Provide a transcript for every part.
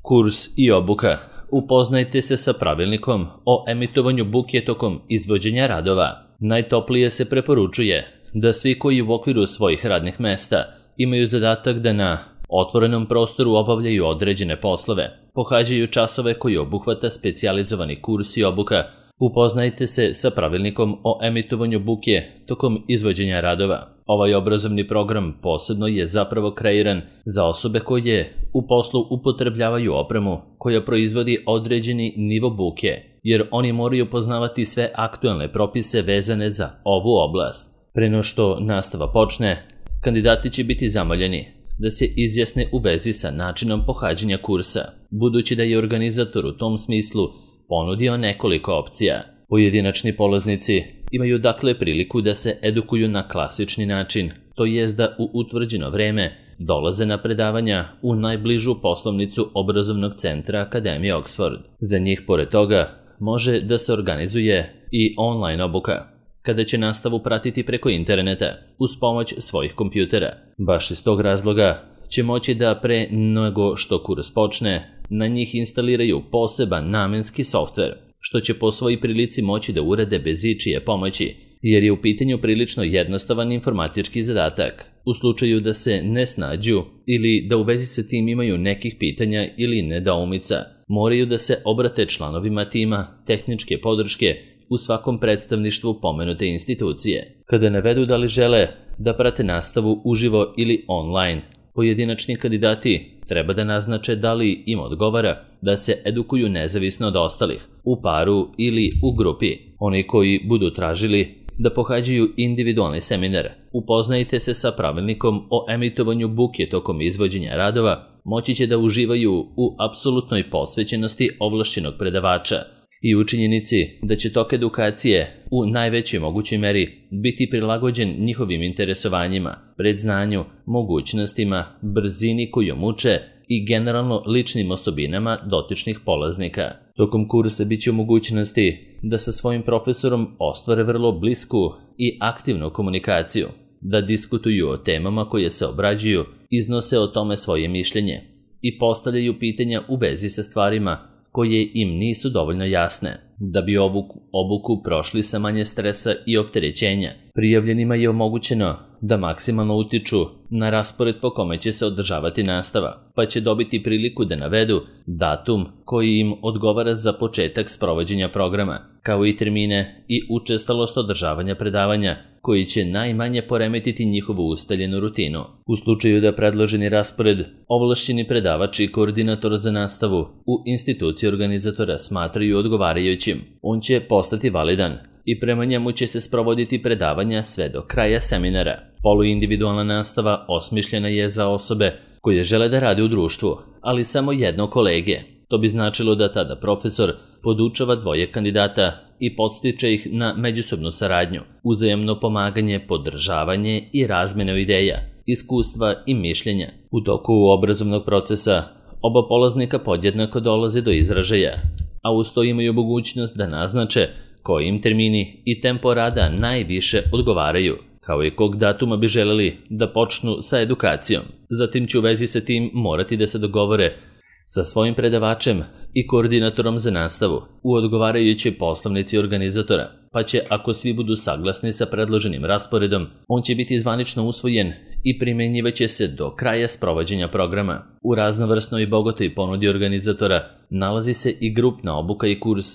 Kurs i obuka. Upoznajte se sa pravilnikom o emitovanju buke tokom izvođenja radova. Najtoplije se preporučuje da svi koji u okviru svojih radnih mesta imaju zadatak da na otvorenom prostoru obavljaju određene poslove, pohađaju časove koji obuhvata specijalizovani kurs i obuka. Upoznajte se sa pravilnikom o emitovanju buke tokom izvođenja radova. Ovaj obrazovni program posebno je zapravo kreiran za osobe koje u poslu upotrebljavaju opremu koja proizvodi određeni nivo buke, jer oni moraju poznavati sve aktuelne propise vezane za ovu oblast. Pre no što nastava počne, kandidati će biti zamoljeni da se izjasne u vezi sa načinom pohađanja kursa, budući da je organizator u tom smislu ponudio nekoliko opcija. Pojedinačni polaznici imaju dakle priliku da se edukuju na klasični način, to jest da u utvrđeno vreme dolaze na predavanja u najbližu poslovnicu obrazovnog centra Akademije Oxford. Za njih, pored toga, može da se organizuje i online obuka, kada će nastavu pratiti preko interneta uz pomoć svojih kompjutera. Baš iz tog razloga će moći da pre nego što kurs počne, na njih instaliraju poseban namenski softver, što će po svojoj prilici moći da urade bez ičije pomoći, jer je u pitanju prilično jednostavan informatički zadatak. U slučaju da se ne snađu ili da u vezi sa tim imaju nekih pitanja ili nedoumica, moraju da se obrate članovima tima tehničke podrške u svakom predstavništvu pomenute institucije. Kada navedu da li žele da prate nastavu uživo ili online, pojedinačni kandidati treba da naznače da li im odgovara da se edukuju nezavisno od ostalih, u paru ili u grupi. Oni koji budu tražili da pohađaju individualni seminar, upoznajte se sa pravilnikom o emitovanju buke tokom izvođenja radova, moći će da uživaju u apsolutnoj posvećenosti ovlašćenog predavača i u činjenici da će tok edukacije u najvećoj mogućoj meri biti prilagođen njihovim interesovanjima, predznanju, mogućnostima, brzini kojom uče i generalno ličnim osobinama dotičnih polaznika. Tokom kursa bit će u mogućnosti da sa svojim profesorom ostvare vrlo blisku i aktivnu komunikaciju, da diskutuju o temama koje se obrađuju, iznose o tome svoje mišljenje i postavljaju pitanja u vezi sa stvarima koje im nisu dovoljno jasne. Da bi ovu obuku prošli sa manje stresa i opterećenja, prijavljenima je omogućeno da maksimalno utiču na raspored po kome će se održavati nastava, pa će dobiti priliku da navedu datum koji im odgovara za početak sprovođenja programa, kao i termine i učestalost održavanja predavanja, koji će najmanje poremetiti njihovu ustaljenu rutinu. U slučaju da predloženi raspored ovlašćeni predavač i koordinator za nastavu u instituciji organizatora smatraju odgovarajućim, on će postati validan i prema njemu će se sprovoditi predavanja sve do kraja seminara. Poluindividualna nastava osmišljena je za osobe koje žele da rade u društvu, ali samo jednog kolege. To bi značilo da tada profesor podučava dvoje kandidata i podstiče ih na međusobnu saradnju, uzajamno pomaganje, podržavanje i razmenu ideja, iskustva i mišljenja. U toku obrazovnog procesa oba polaznika podjednako dolaze do izražaja, a uz to imaju mogućnost da naznače koji im termini i tempo rada najviše odgovaraju, kao i kog datuma bi želeli da počnu sa edukacijom. Zatim će u vezi sa tim morati da se dogovore sa svojim predavačem i koordinatorom za nastavu u odgovarajućoj poslovnici organizatora, pa će, ako svi budu saglasni sa predloženim rasporedom, on će biti zvanično usvojen i primenjivaće se do kraja sprovođenja programa. U raznovrsnoj i bogatoj ponudi organizatora nalazi se i grupna obuka i kurs.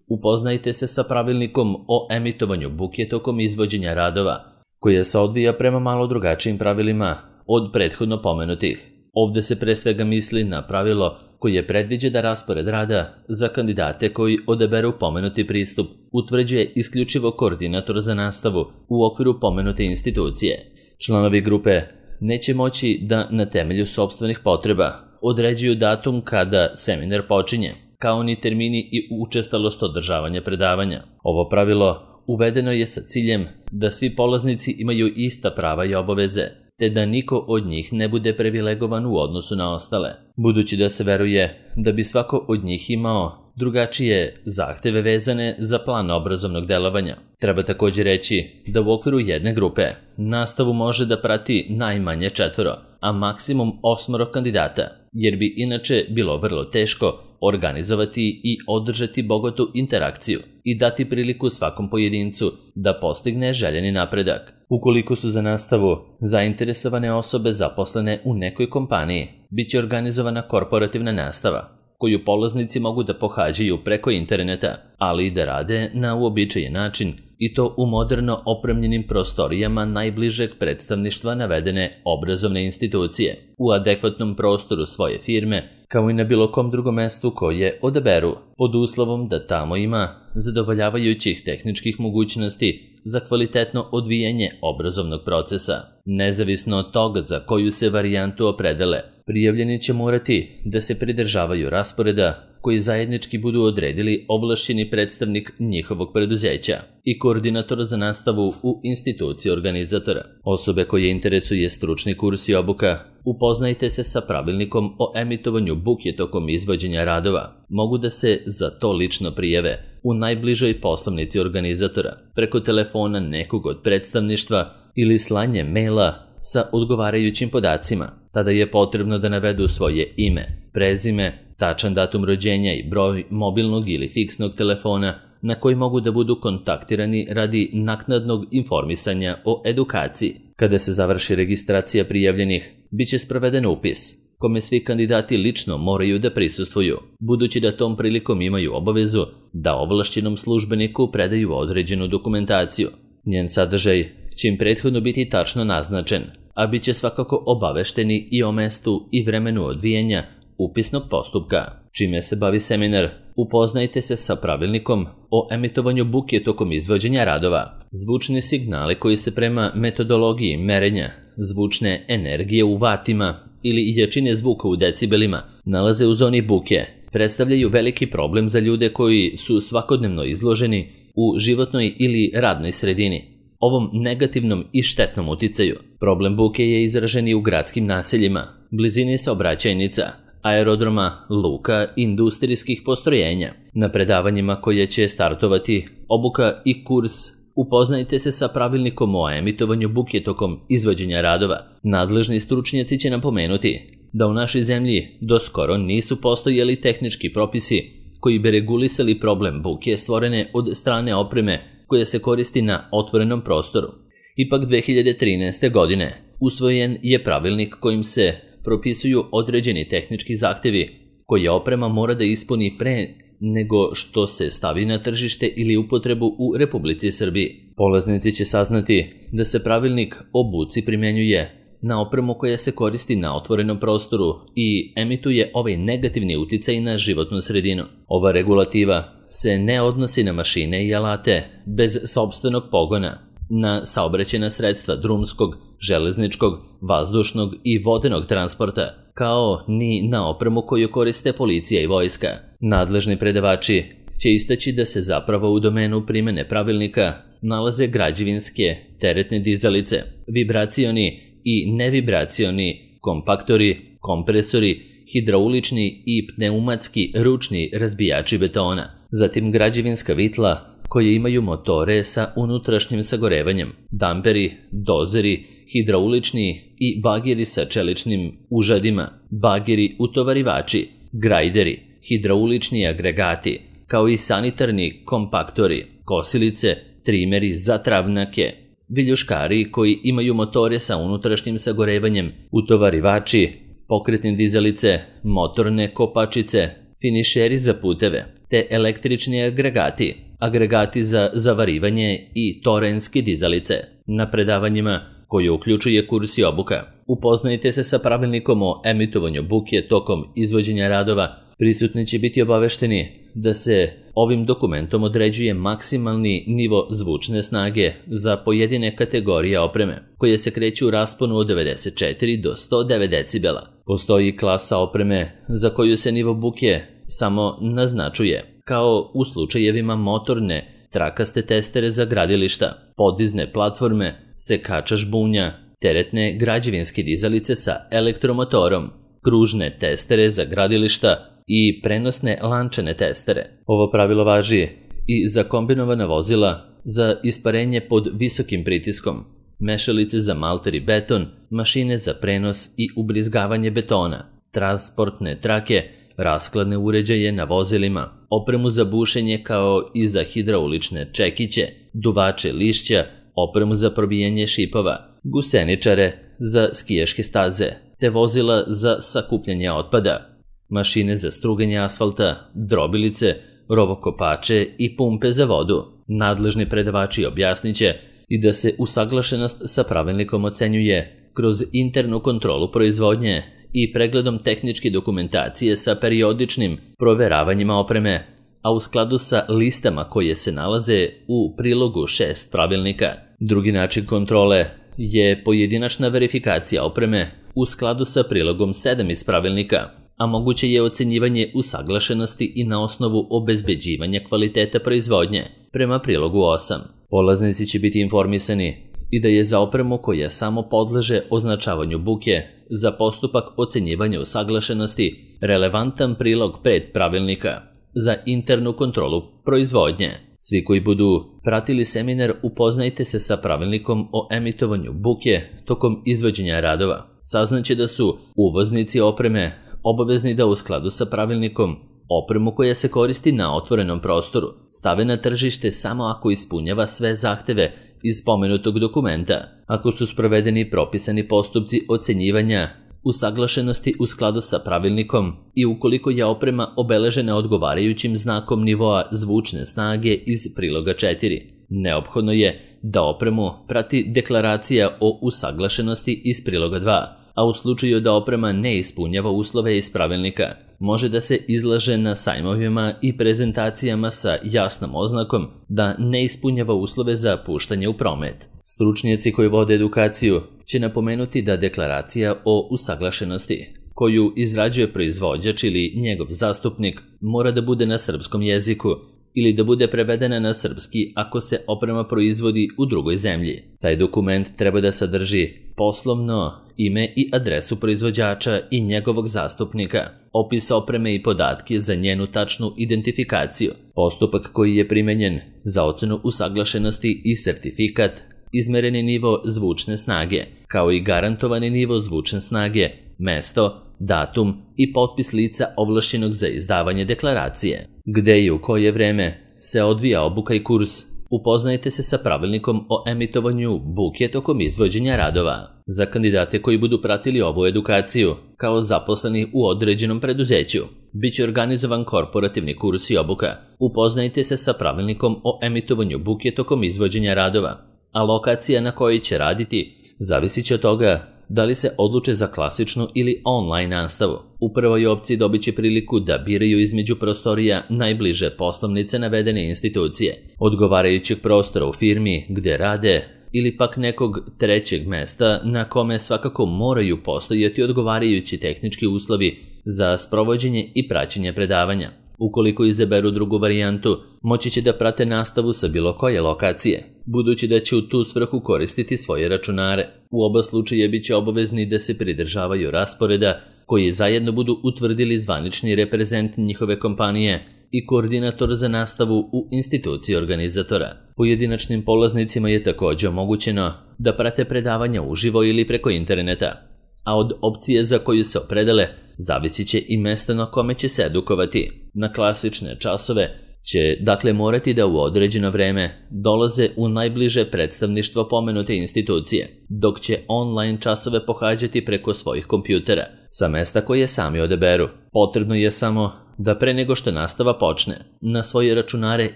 Upoznajte se sa pravilnikom o emitovanju buke tokom izvođenja radova, koja se odvija prema malo drugačijim pravilima od prethodno pomenutih. Ovde se pre svega misli na pravilo koje predviđa da raspored rada za kandidate koji odaberu pomenuti pristup utvrđuje isključivo koordinator za nastavu u okviru pomenute institucije. Članovi grupe neće moći da na temelju sopstvenih potreba određuju datum kada seminar počinje, kao ni termini i učestalost održavanja predavanja. Ovo pravilo uvedeno je sa ciljem da svi polaznici imaju ista prava i obaveze, te da niko od njih ne bude privilegovan u odnosu na ostale, budući da se veruje da bi svako od njih imao drugačije zahteve vezane za plan obrazovnog delovanja. Treba također reći da u okviru jedne grupe nastavu može da prati najmanje 4, a maksimum 8 kandidata, jer bi inače bilo vrlo teško organizovati i održati bogatu interakciju i dati priliku svakom pojedincu da postigne željeni napredak. Ukoliko su za nastavu zainteresovane osobe zaposlene u nekoj kompaniji, bit će organizovana korporativna nastava, koju polaznici mogu da pohađaju preko interneta, ali i da rade na uobičajen način, i to u moderno opremljenim prostorijama najbližeg predstavništva navedene obrazovne institucije, u adekvatnom prostoru svoje firme, kao i na bilo kom drugom mestu koje odaberu, pod uslovom da tamo ima zadovoljavajućih tehničkih mogućnosti za kvalitetno odvijanje obrazovnog procesa. Nezavisno od toga za koju se varijantu opredele, prijavljeni će morati da se pridržavaju rasporeda koji zajednički budu odredili ovlašćeni predstavnik njihovog preduzeća i koordinator za nastavu u instituciji organizatora. Osobe koje interesuje stručni kurs i obuka, upoznajte se sa pravilnikom o emitovanju buke tokom izvođenja radova. Mogu da se za to lično prijave u najbližoj poslovnici organizatora, preko telefona nekog od predstavništva ili slanje maila sa odgovarajućim podacima. Tada je potrebno da navedu svoje ime, prezime, tačan datum rođenja i broj mobilnog ili fiksnog telefona na koji mogu da budu kontaktirani radi naknadnog informisanja o edukaciji. Kada se završi registracija prijavljenih, bit će sproveden upis, kome svi kandidati lično moraju da prisustvuju, budući da tom prilikom imaju obavezu da ovlašćenom službeniku predaju određenu dokumentaciju. Njen sadržaj će im prethodno biti tačno naznačen, a bit će svakako obavešteni i o mestu i vremenu odvijanja upisnog postupka. Čime se bavi seminar, upoznajte se sa pravilnikom o emitovanju buke tokom izvođenja radova. Zvučni signali koji se prema metodologiji merenja zvučne energije u vatima ili jačine zvuka u decibelima nalaze u zoni buke, predstavljaju veliki problem za ljude koji su svakodnevno izloženi u životnoj ili radnoj sredini ovom negativnom i štetnom uticaju. Problem buke je izražen i u gradskim naseljima, blizini saobraćajnica, aerodroma, luka, industrijskih postrojenja. Na predavanjima koje će startovati obuka i kurs, upoznajte se sa pravilnikom o emitovanju buke tokom izvođenja radova. Nadležni stručnjaci će napomenuti da u našoj zemlji doskoro nisu postojali tehnički propisi koji bi regulisali problem buke stvorene od strane opreme koja se koristi na otvorenom prostoru. Ipak 2013. godine usvojen je pravilnik kojim se propisuju određeni tehnički zahtevi koje oprema mora da ispuni pre nego što se stavi na tržište ili upotrebu u Republici Srbiji. Polaznici će saznati da se pravilnik o buci primjenjuje na opremu koja se koristi na otvorenom prostoru i emituje ovaj negativni uticaj na životnu sredinu. Ova regulativa se ne odnosi na mašine i alate bez sopstvenog pogona, na saobraćajna sredstva drumskog, železničkog, vazdušnog i vodenog transporta, kao ni na opremu koju koriste policija i vojska. Nadležni predavači će istaći da se zapravo u domenu primene pravilnika nalaze građevinske teretne dizalice, vibracioni i nevibracioni kompaktori, kompresori, hidraulični i pneumatski ručni razbijači betona, zatim građevinska vitla koje imaju motore sa unutrašnjim sagorevanjem, damperi, dozeri, hidraulični i bageri sa čeličnim užadima, bageri utovarivači, grajderi, hidraulični agregati, kao i sanitarni kompaktori, kosilice, trimeri za travnjake, viljuškari koji imaju motore sa unutrašnjim sagorevanjem, utovarivači, pokretne dizalice, motorne kopačice, finišeri za puteve, te električni agregati, agregati za zavarivanje i torenske dizalice. Na predavanjima, koje uključuje kurs i obuka, upoznajte se sa pravilnikom o emitovanju buke tokom izvođenja radova. Prisutni će biti obavešteni da se ovim dokumentom određuje maksimalni nivo zvučne snage za pojedine kategorije opreme, koje se kreću u rasponu od 94 do 109 decibela. Postoji klasa opreme za koju se nivo buke samo naznačuje, kao u slučajevima motorne, trakaste testere za gradilišta, podizne platforme, sekača žbunja, teretne građevinske dizalice sa elektromotorom, kružne testere za gradilišta, i prenosne lančane testere. Ovo pravilo važi i za kombinovana vozila za isparenje pod visokim pritiskom, mešalice za malter i beton, mašine za prenos i ubrizgavanje betona, transportne trake, raskladne uređaje na vozilima, opremu za bušenje kao i za hidraulične čekiće, duvače lišća, opremu za probijanje šipova, guseničare za skijaške staze, te vozila za sakupljanje otpada, mašine za struganje asfalta, drobilice, rovokopače i pumpe za vodu. Nadležni predavači objasniće i da se usaglašenost sa pravilnikom ocenjuje kroz internu kontrolu proizvodnje i pregledom tehničke dokumentacije sa periodičnim proveravanjima opreme, a u skladu sa listama koje se nalaze u prilogu 6 pravilnika. Drugi način kontrole je pojedinačna verifikacija opreme u skladu sa prilogom 7 iz pravilnika, a moguće je ocenjivanje usaglašenosti i na osnovu obezbeđivanja kvaliteta proizvodnje prema prilogu 8. Polaznici će biti informisani i da je za opremu koja samo podleže označavanju buke za postupak ocenjivanja usaglašenosti relevantan prilog 5 pravilnika za internu kontrolu proizvodnje. Svi koji budu pratili seminar upoznajte se sa pravilnikom o emitovanju buke tokom izvođenja radova. Saznaće da su uvoznici opreme obavezni da u skladu sa pravilnikom opremu koja se koristi na otvorenom prostoru stave na tržište samo ako ispunjava sve zahteve iz spomenutog dokumenta, ako su sprovedeni propisani postupci ocenjivanja usaglašenosti u skladu sa pravilnikom i ukoliko je oprema obeležena odgovarajućim znakom nivoa zvučne snage iz priloga 4. Neophodno je da opremu prati deklaracija o usaglašenosti iz priloga 2, a u slučaju da oprema ne ispunjava uslove iz pravilnika, može da se izlaže na sajmovima i prezentacijama sa jasnom oznakom da ne ispunjava uslove za puštanje u promet. Stručnjaci koji vode edukaciju će napomenuti da deklaracija o usaglašenosti, koju izrađuje proizvođač ili njegov zastupnik, mora da bude na srpskom jeziku ili da bude prevedena na srpski ako se oprema proizvodi u drugoj zemlji. Taj dokument treba da sadrži poslovno ime i adresu proizvođača i njegovog zastupnika, opis opreme i podatke za njenu tačnu identifikaciju, postupak koji je primenjen za ocenu usaglašenosti i sertifikat, izmereni nivo zvučne snage, kao i garantovani nivo zvučne snage, mesto, datum i potpis lica ovlašćenog za izdavanje deklaracije. Gde i u koje vreme se odvija obuka i kurs, upoznajte se sa pravilnikom o emitovanju buke tokom izvođenja radova. Za kandidate koji budu pratili ovu edukaciju kao zaposleni u određenom preduzeću, biće organizovan korporativni kurs i obuka. Upoznajte se sa pravilnikom o emitovanju buke tokom izvođenja radova, a lokacija na kojoj će raditi zavisit će od toga da li se odluče za klasičnu ili online nastavu. U prvoj opciji dobit će priliku da biraju između prostorija najbliže poslovnice navedene institucije, odgovarajućeg prostora u firmi gde rade ili pak nekog trećeg mesta na kome svakako moraju postojati odgovarajući tehnički uslovi za sprovođenje i praćenje predavanja. Ukoliko izaberu drugu varijantu, moći će da prate nastavu sa bilo koje lokacije, budući da će u tu svrhu koristiti svoje računare. U oba slučaja bit će obavezni da se pridržavaju rasporeda koji zajedno budu utvrdili zvanični reprezent njihove kompanije i koordinator za nastavu u instituciji organizatora. Pojedinačnim polaznicima je također omogućeno da prate predavanja uživo ili preko interneta, a od opcije za koju se opredele zavisit će i mesto na kome će se edukovati. Na klasične časove će dakle morati da u određeno vreme dolaze u najbliže predstavništvo pomenute institucije, dok će online časove pohađati preko svojih kompjutera sa mesta koje sami odaberu. Potrebno je samo da pre nego što nastava počne, na svoje računare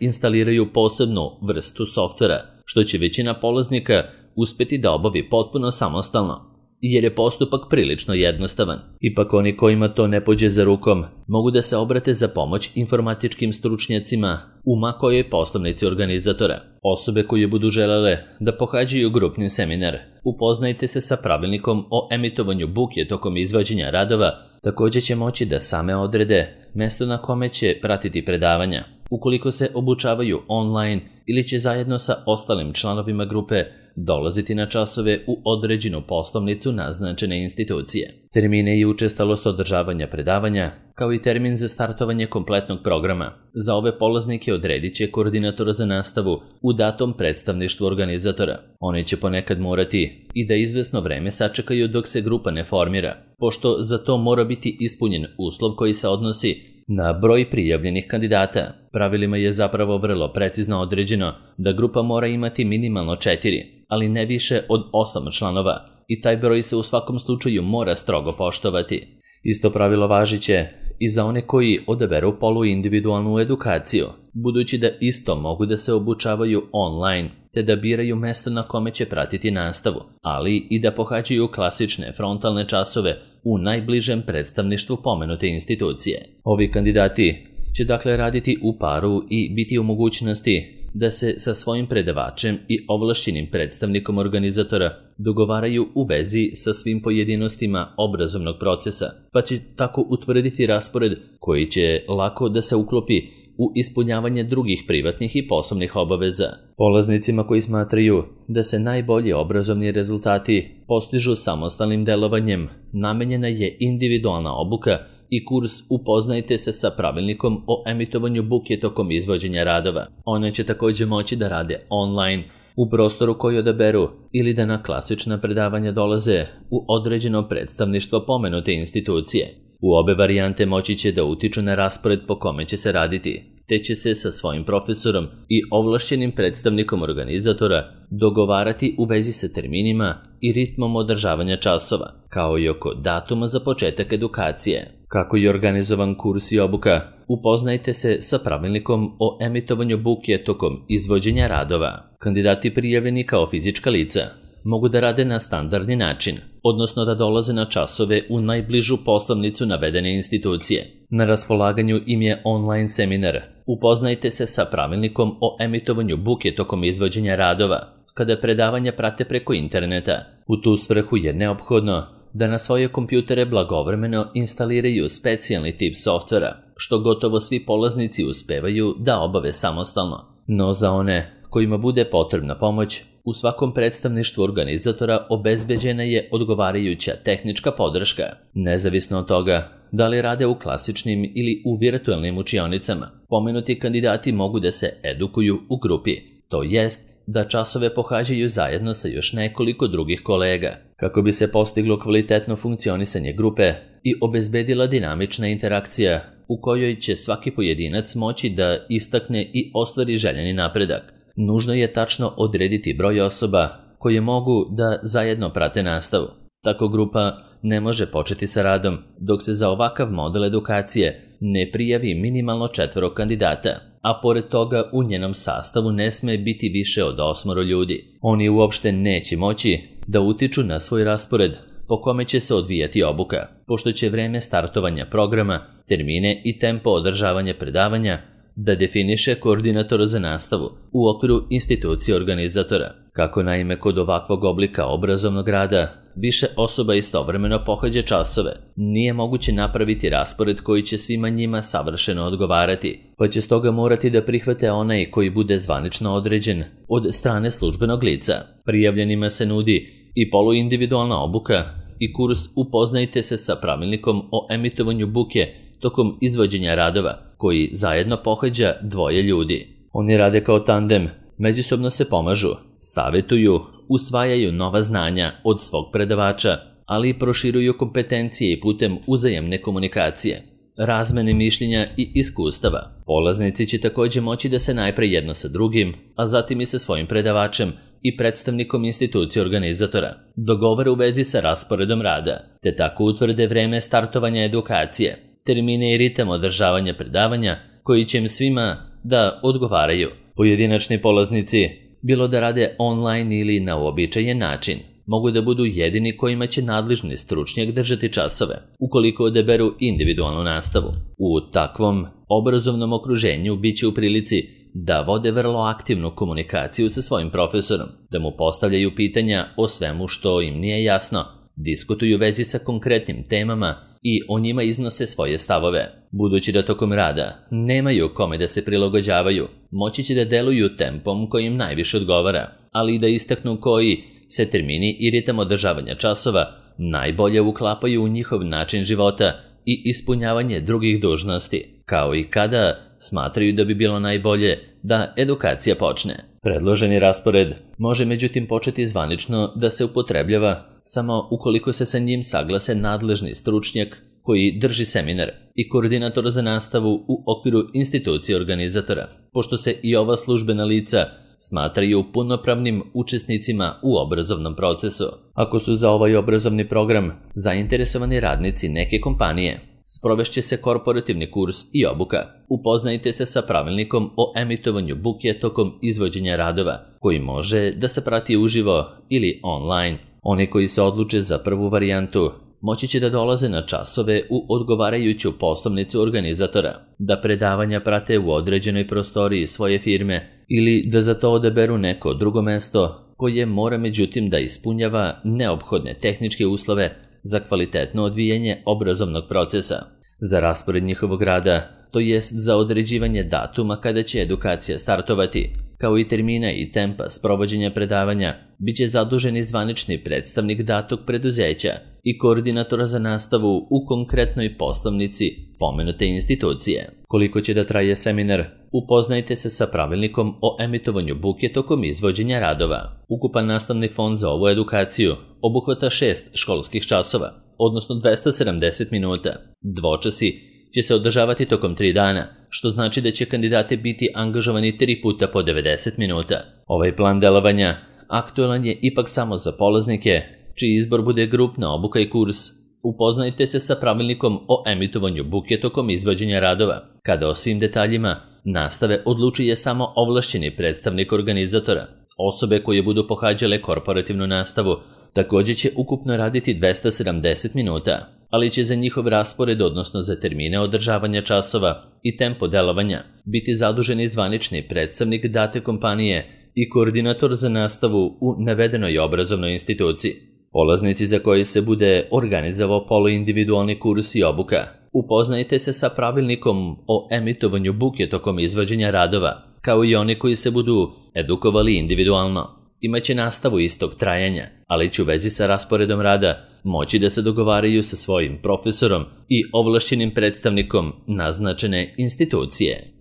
instaliraju posebnu vrstu softvera, što će većina polaznika uspeti da obavi potpuno samostalno, jer je postupak prilično jednostavan. Ipak oni kojima to ne pođe za rukom mogu da se obrate za pomoć informatičkim stručnjacima u ma kojoj poslovnici organizatora. Osobe koje budu želele da pohađaju grupni seminar, upoznajte se sa pravilnikom o emitovanju buke tokom izvođenja radova, također će moći da same odrede mesto na kome će pratiti predavanja. Ukoliko se obučavaju online ili će zajedno sa ostalim članovima grupe dolaziti na časove u određenu poslovnicu naznačene institucije. Termine i učestalost održavanja predavanja, kao i termin za startovanje kompletnog programa, za ove polaznike odredit će koordinator za nastavu u datom predstavništvu organizatora. Oni će ponekad morati i da izvesno vreme sačekaju dok se grupa ne formira, pošto za to mora biti ispunjen uslov koji se odnosi na broj prijavljenih kandidata. Pravilima je zapravo vrlo precizno određeno da grupa mora imati minimalno 4, ali ne više od 8 članova i taj broj se u svakom slučaju mora strogo poštovati. Isto pravilo važiće i za one koji odaberu poluindividualnu edukaciju, budući da isto mogu da se obučavaju online te da biraju mesto na kome će pratiti nastavu, ali i da pohađaju klasične frontalne časove u najbližem predstavništvu pomenute institucije. Ovi kandidati će dakle raditi u paru i biti u mogućnosti da se sa svojim predavačem i ovlašćenim predstavnikom organizatora dogovaraju u vezi sa svim pojedinostima obrazovnog procesa, pa će tako utvrditi raspored koji će lako da se uklopi u ispunjavanje drugih privatnih i poslovnih obaveza. Polaznicima koji smatraju da se najbolji obrazovni rezultati postižu samostalnim delovanjem, namenjena je individualna obuka i kurs Upoznajte se sa pravilnikom o emitovanju buke tokom izvođenja radova. One će također moći da rade online u prostoru koji odaberu ili da na klasična predavanja dolaze u određeno predstavništvo pomenute institucije. U obe varijante moći će da utiču na raspored po kome će se raditi, te će se sa svojim profesorom i ovlašćenim predstavnikom organizatora dogovarati u vezi sa terminima i ritmom održavanja časova, kao i oko datuma za početak edukacije. Kako je organizovan kurs i obuka, upoznajte se sa pravilnikom o emitovanju buke tokom izvođenja radova. Kandidati prijavljeni kao fizička lica mogu da rade na standardni način, odnosno da dolaze na časove u najbližu poslovnicu navedene institucije. Na raspolaganju im je online seminar Upoznajte se sa pravilnikom o emitovanju buke tokom izvođenja radova, kada predavanja prate preko interneta. U tu svrhu je neophodno da na svoje kompjutere blagovremeno instaliraju specijalni tip softvera, što gotovo svi polaznici uspevaju da obave samostalno. No za one kojima bude potrebna pomoć, u svakom predstavništvu organizatora obezbeđena je odgovarajuća tehnička podrška. Nezavisno od toga da li rade u klasičnim ili u virtualnim učionicama, pomenuti kandidati mogu da se edukuju u grupi, to jest da časove pohađaju zajedno sa još nekoliko drugih kolega, kako bi se postiglo kvalitetno funkcionisanje grupe i obezbedila dinamična interakcija u kojoj će svaki pojedinac moći da istakne i ostvari željeni napredak. Nužno je tačno odrediti broj osoba koje mogu da zajedno prate nastavu. Tako grupa ne može početi sa radom dok se za ovakav model edukacije ne prijavi minimalno 4 kandidata, a pored toga u njenom sastavu ne sme biti više od 8 ljudi. Oni uopšte neće moći da utiču na svoj raspored po kome će se odvijati obuka, pošto će vreme startovanja programa, termine i tempo održavanja predavanja da definiše koordinator za nastavu u okviru institucije organizatora. Kako naime kod ovakvog oblika obrazovnog rada više osoba istovremeno pohađa časove, nije moguće napraviti raspored koji će svima njima savršeno odgovarati, pa će stoga morati da prihvate onaj koji bude zvanično određen od strane službenog lica. Prijavljenima se nudi i poluindividualna obuka i kurs Upoznajte se sa pravilnikom o emitovanju buke tokom izvođenja radova, koji zajedno pohađa 2 ljudi. Oni rade kao tandem, međusobno se pomažu, savetuju, usvajaju nova znanja od svog predavača, ali i proširuju kompetencije i putem uzajamne komunikacije, razmene mišljenja i iskustava. Polaznici će također moći da se najpre jedno sa drugim, a zatim i sa svojim predavačem i predstavnikom institucije organizatora dogovore u vezi sa rasporedom rada, te tako utvrde vreme startovanja edukacije, termine i ritam održavanja predavanja koji će im svima da odgovaraju. Pojedinačni polaznici, bilo da rade online ili na uobičajen način, mogu da budu jedini kojima će nadležni stručnjak držati časove, ukoliko odaberu individualnu nastavu. U takvom obrazovnom okruženju bit će u prilici da vode vrlo aktivnu komunikaciju sa svojim profesorom, da mu postavljaju pitanja o svemu što im nije jasno, diskutuju vezi sa konkretnim temama i o njima iznose svoje stavove. Budući da tokom rada nemaju kome da se prilagođavaju, moći će da deluju tempom koji im najviše odgovara. ali i da istaknu koji se termini i ritam održavanja časova najbolje uklapaju u njihov način života i ispunjavanje drugih dužnosti, kao i kada smatraju da bi bilo najbolje da edukacija počne. Predloženi raspored može međutim početi zvanično da se upotrebljava samo ukoliko se sa njim saglase nadležni stručnjak koji drži seminar i koordinator za nastavu u okviru institucije organizatora, pošto se i ova službena lica smatraju punopravnim učesnicima u obrazovnom procesu. Ako su za ovaj obrazovni program zainteresovani radnici neke kompanije, sprovešće se korporativni kurs i obuka. Upoznajte se sa pravilnikom o emitovanju buke tokom izvođenja radova, koji može da se prati uživo ili online. Oni koji se odluče za prvu varijantu moći će da dolaze na časove u odgovarajuću poslovnicu organizatora, da predavanja prate u određenoj prostoriji svoje firme ili da za to odaberu neko drugo mesto koje mora međutim da ispunjava neophodne tehničke uslove za kvalitetno odvijanje obrazovnog procesa. Za raspored njihovog rada, to jest za određivanje datuma kada će edukacija startovati, kao i termina i tempa sprovođenja predavanja, bit će zaduženi zvanični predstavnik datog preduzeća i koordinatora za nastavu u konkretnoj poslovnici pomenute institucije. Koliko će da traje seminar, upoznajte se sa pravilnikom o emitovanju buke tokom izvođenja radova. Ukupan nastavni fond za ovu edukaciju obuhvata 6 školskih časova, odnosno 270 minuta. Dvočasi će se održavati tokom 3 dana, što znači da će kandidati biti angažovani 3 puta po 90 minuta. Ovaj plan delovanja aktualan je ipak samo za polaznike, čiji izbor bude grupna obuka i kurs. Upoznajte se sa pravilnikom o emitovanju buke tokom izvođenja radova, kada o svim detaljima nastave odlučuje samo ovlašćeni predstavnik organizatora. Osobe koje budu pohađale korporativnu nastavu također će ukupno raditi 270 minuta, ali će za njihov raspored, odnosno za termine održavanja časova i tempo delovanja, biti zaduženi zvanični predstavnik date kompanije i koordinator za nastavu u navedenoj obrazovnoj instituciji. Polaznici za koji se bude organizovao poluindividualni kurs i obuka, upoznajte se sa pravilnikom o emitovanju buke tokom izvođenja radova, kao i oni koji se budu edukovali individualno. Imaće nastavu istog trajanja, ali će u vezi sa rasporedom rada moći da se dogovaraju sa svojim profesorom i ovlašćenim predstavnikom naznačene institucije.